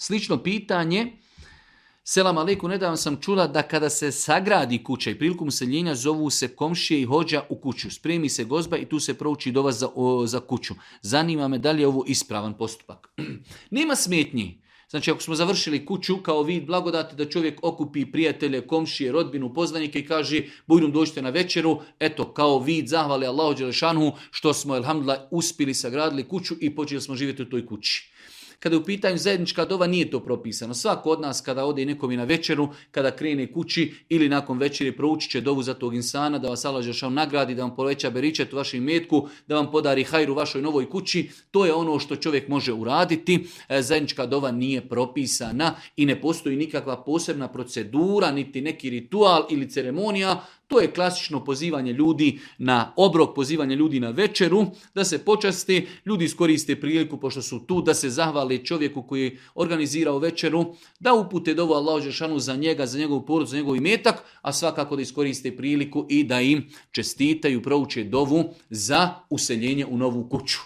Slično pitanje, selam aleikum, nedavno sam čula da kada se sagradi kuća i prilikom useljenja zovu se komšije i hođa u kuću. Spremi se gozba i tu se prouči dova za kuću. Zanima me da li je ovo ispravan postupak. Nema smetnji. Znači, ako smo završili kuću kao vid blagodati da čovjek okupi prijatelje, komšije, rodbinu, poznanike i kaže bujdom dođite na večeru, eto, kao vid zahvali Allahu dželešanu što smo, elhamdulillah, uspjeli sagradili kuću i počeli smo živjeti u toj kući. Kada je u pitanju zajednička dova, nije to propisano. Svako od nas kada ode nekom i na večeru, kada krene kući ili nakon večeri proučit će dovu za tog insana, da vas Allah dželešanu nagradi, da vam poveća beričet u vašem imetku, da vam podari hajru u vašoj novoj kući. To je ono što čovjek može uraditi. Zajednička dova nije propisana i ne postoji nikakva posebna procedura, niti neki ritual ili ceremonija. To je klasično pozivanje ljudi na obrok, pozivanje ljudi na večeru, da se počasti, ljudi iskoriste priliku pošto su tu, da se zahvale čovjeku koji je organizirao večeru, da upute dovu Allahu dželešanu za njega, za njegovu porodicu, za njegov imetak, a svakako da iskoriste priliku i da im čestitaju, prouče dovu za useljenje u novu kuću.